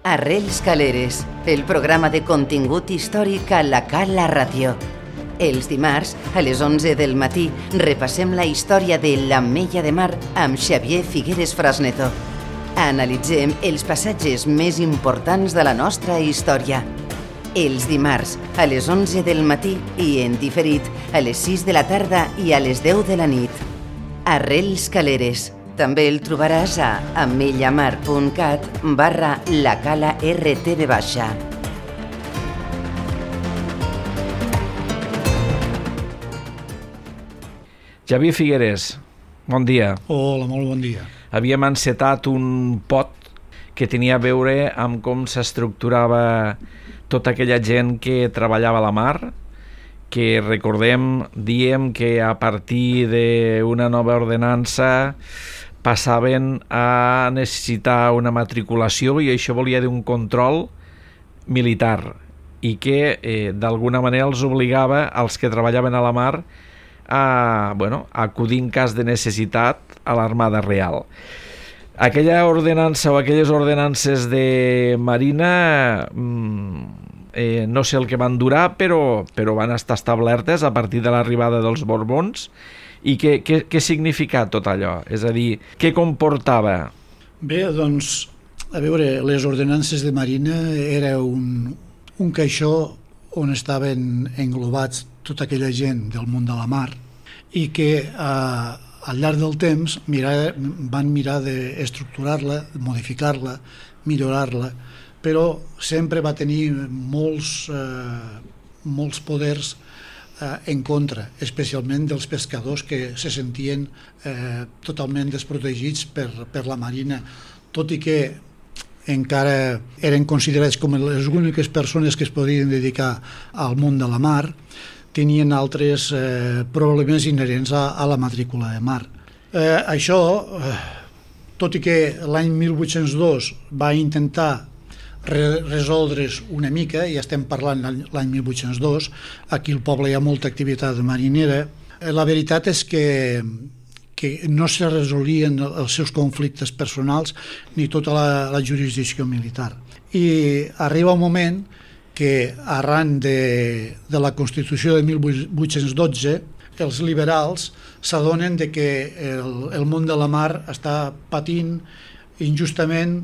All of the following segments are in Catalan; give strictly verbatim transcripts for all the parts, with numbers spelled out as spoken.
Arrels Caleres, el programa de contingut històric a la Cala Ràdio. Els dimarts, a les onze del matí, repassem la història de l'Ametlla de Mar amb Xavier Figueres Frasneto. Analitzem els passatges més importants de la nostra història. Els dimarts, a les onze del matí i en diferit, a les sis de la tarda i a les deu de la nit. Arrels Caleres. També el trobaràs a amellamar.cat barra la cala rtv baixa. Xavier Figueres, bon dia. Hola, molt bon dia. Havíem encetat un pot que tenia a veure amb com s'estructurava tota aquella gent que treballava a la mar, que recordem, diem que a partir d'una nova ordenança passaven a necessitar una matriculació i això volia dir un control militar i que eh, d'alguna manera els obligava als que treballaven a la mar a, bueno, a acudir en cas de necessitat a l'Armada Real. Aquella ordenança o aquelles ordenances de Marina eh, no sé el que van durar, però, però van estar establertes a partir de l'arribada dels Borbons. I què, què, què significa tot allò? És a dir, què comportava? Bé, doncs, a veure, les ordenances de Marina era un, un caixó on estaven englobats tota aquella gent del món de la mar i que eh, al llarg del temps mirar, van mirar d'estructurar-la, modificar-la, millorar-la, però sempre va tenir molts, eh, molts poders en contra, especialment dels pescadors que se sentien eh, totalment desprotegits per, per la Marina, tot i que encara eren considerats com les úniques persones que es podien dedicar al món de la mar, tenien altres eh, problemes inherents a, a la matrícula de mar. Eh, això, eh, tot i que l'any mil vuit-cents dos va intentar resoldre's una mica, ja estem parlant l'any mil vuit-cents dos, aquí al poble hi ha molta activitat marinera, la veritat és que, que no se resolien els seus conflictes personals ni tota la, la jurisdicció militar. I arriba un moment que arran de, de la Constitució de mil vuit-cents dotze els liberals s'adonen de que el, el món de la mar està patint injustament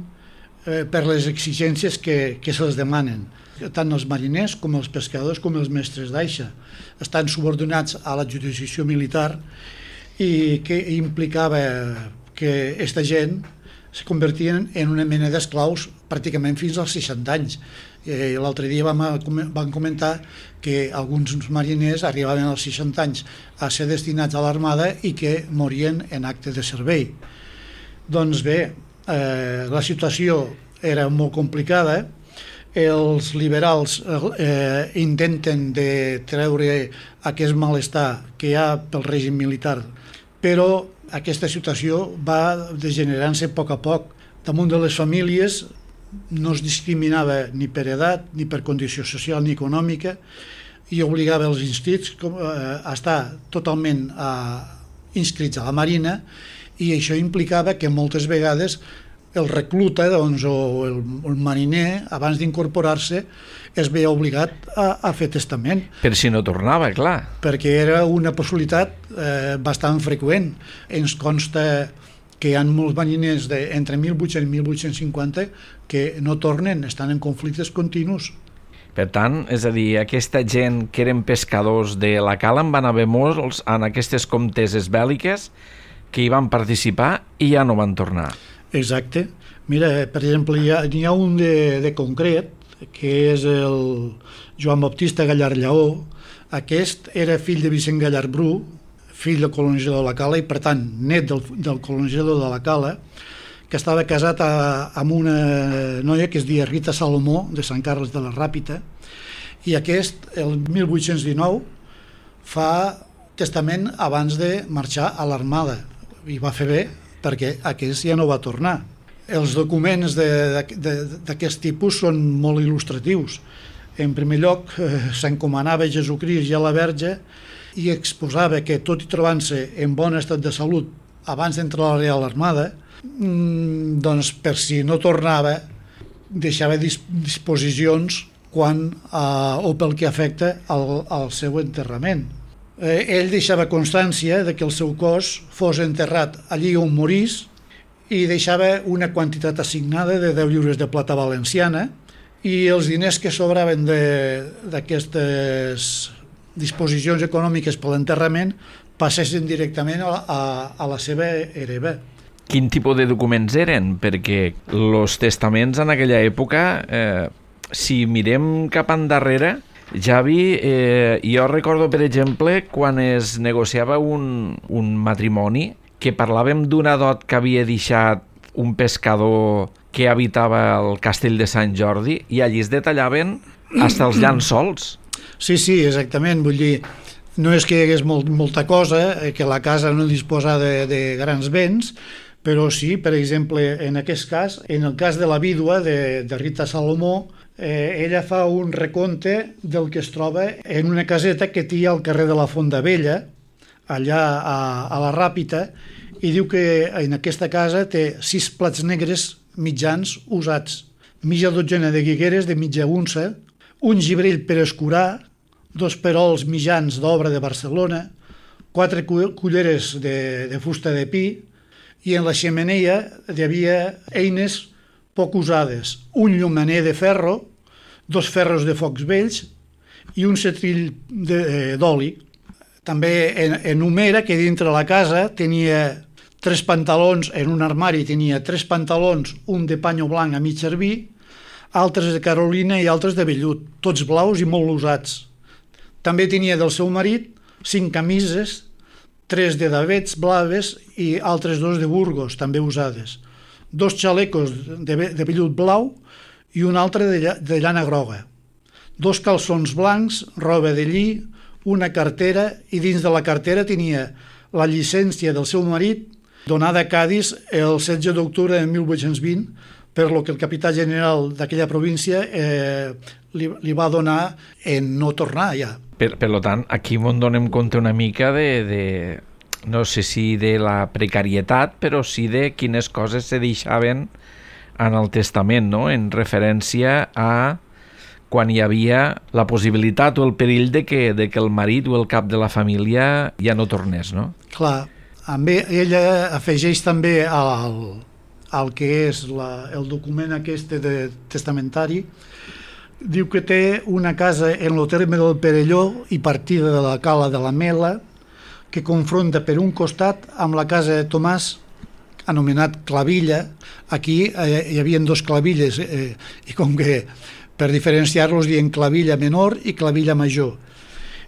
per les exigències que, que se'ls demanen. Tant els mariners com els pescadors com els mestres d'aixa estan subordinats a la jurisdicció militar i que implicava que aquesta gent es convertien en una mena d'esclaus pràcticament fins als seixanta anys. Eh, L'altre dia vam, vam comentar que alguns mariners arribaven als seixanta anys a ser destinats a l'armada i que morien en acte de servei. Doncs bé, Eh, la situació era molt complicada, els liberals eh, intenten de treure aquest malestar que hi ha pel règim militar, però aquesta situació va degenerant-se a poc a poc. Damunt de les famílies no es discriminava ni per edat, ni per condició social ni econòmica, i obligava els inscrits a estar totalment inscrits a la Marina, i això implicava que moltes vegades el recluta doncs, o el, el mariner, abans d'incorporar-se, es veia obligat a, a fer testament. Per si no tornava, clar. Perquè era una possibilitat eh, bastant freqüent. Ens consta que hi ha molts mariners de, entre mil vuit-cents i mil vuit-cents cinquanta que no tornen, estan en conflictes continus. Per tant, és a dir, aquesta gent que eren pescadors de la cala en van haver molts en aquestes comteses bèl·liques que hi van participar i ja no van tornar. Exacte. Mira, per exemple, hi ha, hi ha un de, de concret, que és el Joan Baptista Gallard Lleó. Aquest era fill de Vicent Gallard Bru, fill del colonitzador de la Cala i, per tant, net del, del colonitzador de la Cala, que estava casat a, amb una noia que es deia Rita Salomó, de Sant Carles de la Ràpita, i aquest, el mil vuit-cents dinou, fa testament abans de marxar a l'armada, i va fer bé perquè aquest ja no va tornar. Els documents d'aquest tipus són molt il·lustratius. En primer lloc, eh, s'encomanava a Jesucrist i a la Verge i exposava que, tot i trobant-se en bon estat de salut abans d'entrar a la Real Armada, doncs per si no tornava, deixava dis disposicions quan, uh, o pel que afecta al, al seu enterrament. Eh, ell deixava constància de que el seu cos fos enterrat allí on morís i deixava una quantitat assignada de deu lliures de plata valenciana, i els diners que sobraven d'aquestes disposicions econòmiques per l'enterrament passessin directament a, a, a la seva hereva. Quin tipus de documents eren? Perquè els testaments en aquella època, eh, si mirem cap endarrere, Javi, eh, jo recordo, per exemple, quan es negociava un, un matrimoni, que parlàvem d'una dot que havia deixat un pescador que habitava el castell de Sant Jordi, i allí es detallaven fins els llençols. Sí, sí, exactament. Vull dir, no és que hi hagués molt, molta cosa, que la casa no disposa de, de grans béns, però sí, per exemple, en aquest cas, en el cas de la vídua de, de Rita Salomó, eh, ella fa un recompte del que es troba en una caseta que té al carrer de la Fonda Vella, allà a, a la Ràpita, i diu que en aquesta casa té sis plats negres mitjans usats, mitja dotzena de guigueres de mitja unça, un gibrell per escurar, dos perols mitjans d'obra de Barcelona, quatre culleres de, de fusta de pi, i en la xemeneia hi havia eines poc usades, un llumaner de ferro, dos ferros de focs vells i un setrill d'oli. També en, enumera que dintre la casa tenia tres pantalons, en un armari tenia tres pantalons, un de panyo blanc a mig servir, altres de carolina i altres de vellut, tots blaus i molt usats. També tenia del seu marit cinc camises, tres de davets blaves i altres dos de Burgos, també usades, dos xalecos de, de vellut blau i un altre de, de llana groga, dos calçons blancs, roba de lli, una cartera, i dins de la cartera tenia la llicència del seu marit donada a Cadis el setze d'octubre de mil vuit-cents vint, per lo que el capità general d'aquella província eh, li, li va donar en no tornar ja. Per, per tant, aquí ens donem compte una mica de, de, no sé si de la precarietat, però sí de quines coses se deixaven en el testament, no? En referència a quan hi havia la possibilitat o el perill de que, de que el marit o el cap de la família ja no tornés, no? Clar, amb ella afegeix també al, al que és la, el document aquest de testamentari. Diu que té una casa en el terme del Perelló i partida de la Cala de la Mela, que confronta per un costat amb la casa de Tomàs, anomenat Clavilla. Aquí eh, hi havia dos clavilles, eh, i com que per diferenciar-los dient Clavilla menor i Clavilla major.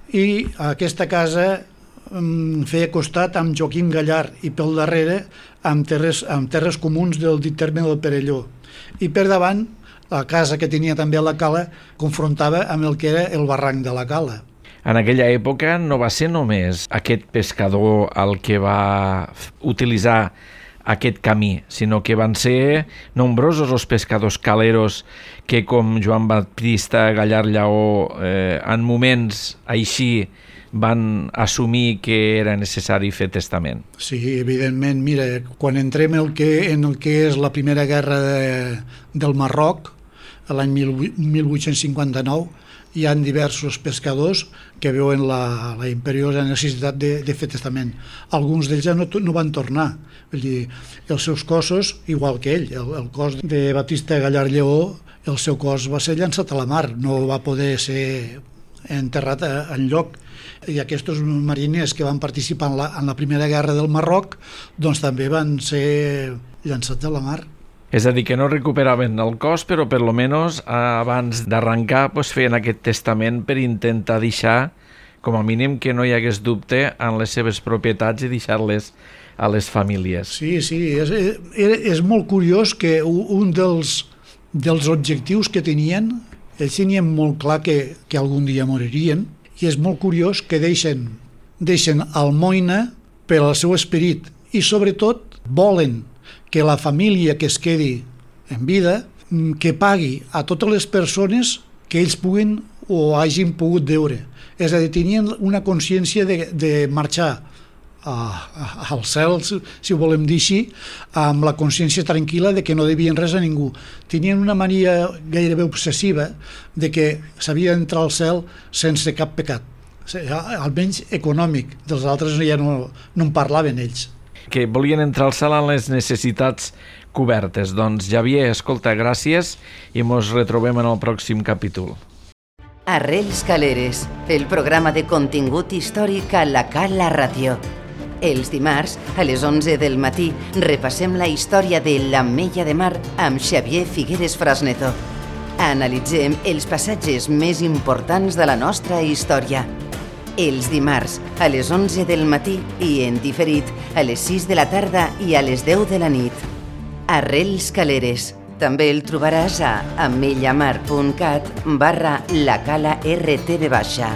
I aquesta casa eh, feia costat amb Joaquim Gallard i pel darrere amb terres, amb terres comuns del dit terme del Perelló. I per davant, la casa que tenia també a la Cala confrontava amb el que era el barranc de la Cala. En aquella època no va ser només aquest pescador el que va utilitzar aquest camí, sinó que van ser nombrosos els pescadors caleros que, com Joan Baptista Gallard Lleó, eh, en moments així van assumir que era necessari fer testament. Sí, evidentment. Mira, quan entrem el que, en el que és la primera guerra de, del Marroc, l'any mil vuit-cents cinquanta-nou, hi ha diversos pescadors que veuen la, la imperiosa necessitat de, de fer testament. Alguns d'ells ja no, no van tornar. Vull dir, els seus cossos, igual que ell, el, el cos de Baptista Gallard Lleó, el seu cos va ser llançat a la mar, no va poder ser enterrat en lloc. I aquests mariners que van participar en la, en la primera guerra del Marroc, doncs també van ser llançats a la mar. És a dir, que no recuperaven el cos, però per lo menos abans d'arrencar pues, feien aquest testament per intentar deixar, com a mínim, que no hi hagués dubte en les seves propietats i deixar-les a les famílies. Sí, sí, és, és, és molt curiós que un dels, dels objectius que tenien, ells tenien molt clar que, que algun dia moririen, i és molt curiós que deixen, deixen almoina per al seu esperit, i sobretot volen que la família que es quedi en vida, que pagui a totes les persones que ells puguin o hagin pogut veure. És a dir, tenien una consciència de, de marxar a, a, al cel, si, si ho volem dir així, amb la consciència tranquil·la de que no devien res a ningú. Tenien una mania gairebé obsessiva de que s'havia d'entrar al cel sense cap pecat, almenys econòmic. Dels altres ja no, no en parlaven ells. Que volien entrar al cel amb les necessitats cobertes. Doncs, Xavier, escolta, gràcies i mos retrobem en el pròxim capítol. Arrels Caleres, el programa de contingut històric a la Cala Ràdio. Els dimarts, a les onze del matí, repassem la història de l'Ametlla de Mar amb Xavier Figueres Frasneto. Analitzem els passatges més importants de la nostra història. Els dimarts, a les onze del matí i en diferit a les sis de la tarda i a les deu de la nit. Arrels Caleres. També el trobaràs a amellamar punt cat barra la cala R T V baixa.